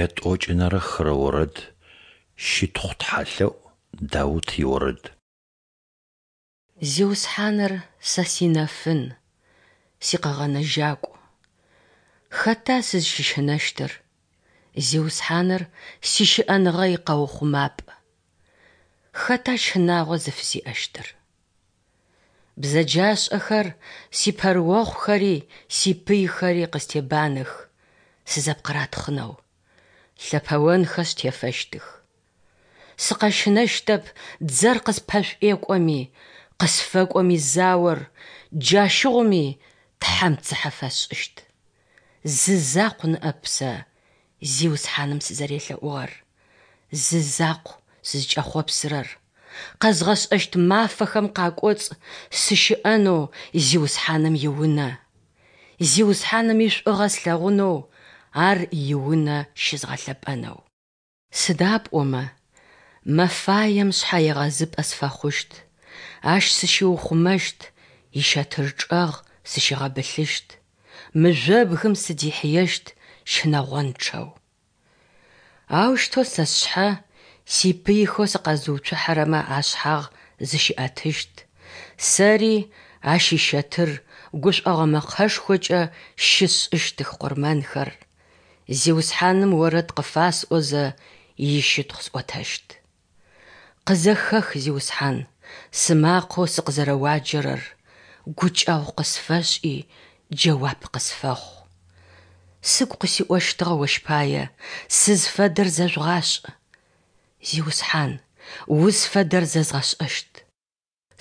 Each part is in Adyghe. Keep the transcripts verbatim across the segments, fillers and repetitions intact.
Ятӏокӏынэрэ хырэ орэд. Щытхъу тхьалъэӏу, Даут иорэд. Зиусхьаныр сэ синэфын, сикъэгъэнэжьакӏу. Хэта сызщыщынэщтыр? Зиусхьаныр сищыӏэныгъэ икъэухъумапӏ. Хэта щынагъо зыфысиӏэщтыр? Бзэджашӏэхэр сипэрыохъухэри сипыйхэри къыстебанэх, сызэпкъыратхъынэу. Лъэпэонхэшъ тефэщтых. Сыкъэщынэщтэп дзэр къыспэшӏуекӏоми, къысфэкӏоми заор, джащыгъуми Тхьэм цыхьэ фэсшӏыщт. Зы закъу ныӏэп сэ Зиусхьаным сызэрелъэӏугъэр, зы закъу сызкӏэхъопсырэр: къэзгъэшӏэщт мафэхэм къакӏоцӏ сыщыӏэнэу Зиусхьаным и Унэ, Зиусхьаным ишӏугъэ слъэгъунэу, Ар иунэ щызгъэлъэпӏэнэу. Сыда пӏомэ мэфаем шъхьэегъэзыпӏэ сфэхъущт, Ащ сыщиухъумэщт, ищэтыр чӏэгъ сыщигъэбылъыщт, мыжъобгым сыдихьыещт щынэгъончъэу. Аущтэу сэ сшъхьэ сипыйхэу сыкъэзыуцухьэрэмэ ашъхьагъ зыщиӏэтыщт, сэри Ащ ищэтыр гушӏогъо мэкъэшхокӏэ щысшӏыщтых къурмэнхэр, Зиусхьаным орэд къыфасӏозэ, ищытхъу сӏотэщт. Къызэхэх, Зиусхьан, сымакъэу сыкъызэрэуаджэрэр, гукӏэгъу къысфэшӏи, джэуап къысфэхъу. Сыгу къысиӏощтыгъэ Ощ пае: Сызфэдэр зэжъугъашӏ. Зиусхьан, узфэдэр зэзгъэшӏэщт.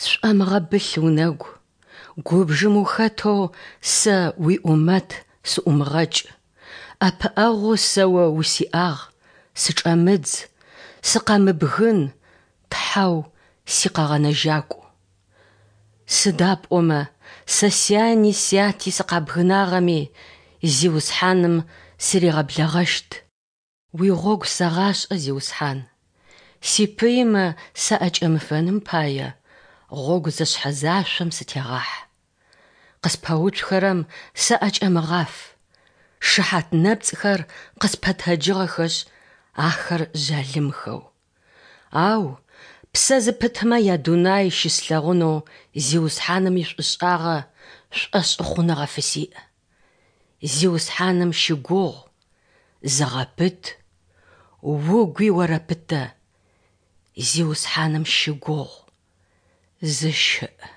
Сшӏомыгъэбылъ унэгу, губжым ухэтэу сэ уиӏумэт сыӏумыгъэкӏ. ӏэпыӏэгъоу сэ О усиӏагъ, сычӏэмыдз, сыкъэмыбгын, Тхьэу си Къэгъэнэжьакӏу. Сыда пӏомэ сэ сяни сяти сыкъабгынагъэми, Зиусхьаным сыригъэблэгъэщт. Уигъогу сэгъашӏэ, Зиусхьан, сипыймэ саӏэкӏэмыфэным пае, гъогу зэшъхьэзашъом сытегъахь. Къыспэуцухэрэм саӏэкӏэмыгъаф, шыхьат нэпцӏхэр къыспэтэджыгъэхэшъ, ахэр жъалымхэу. Ау псэ зыпытмэ ядунай щыслъэгъунэу Зиусхьаным ишӏушӏагъэ шӏошъхъуныгъэ фысиӏ. Зиусхьаным щыгугъ, зыгъэпыт, угуи орэпытэ. Зиусхьаным щыгугъ, зыщыӏ.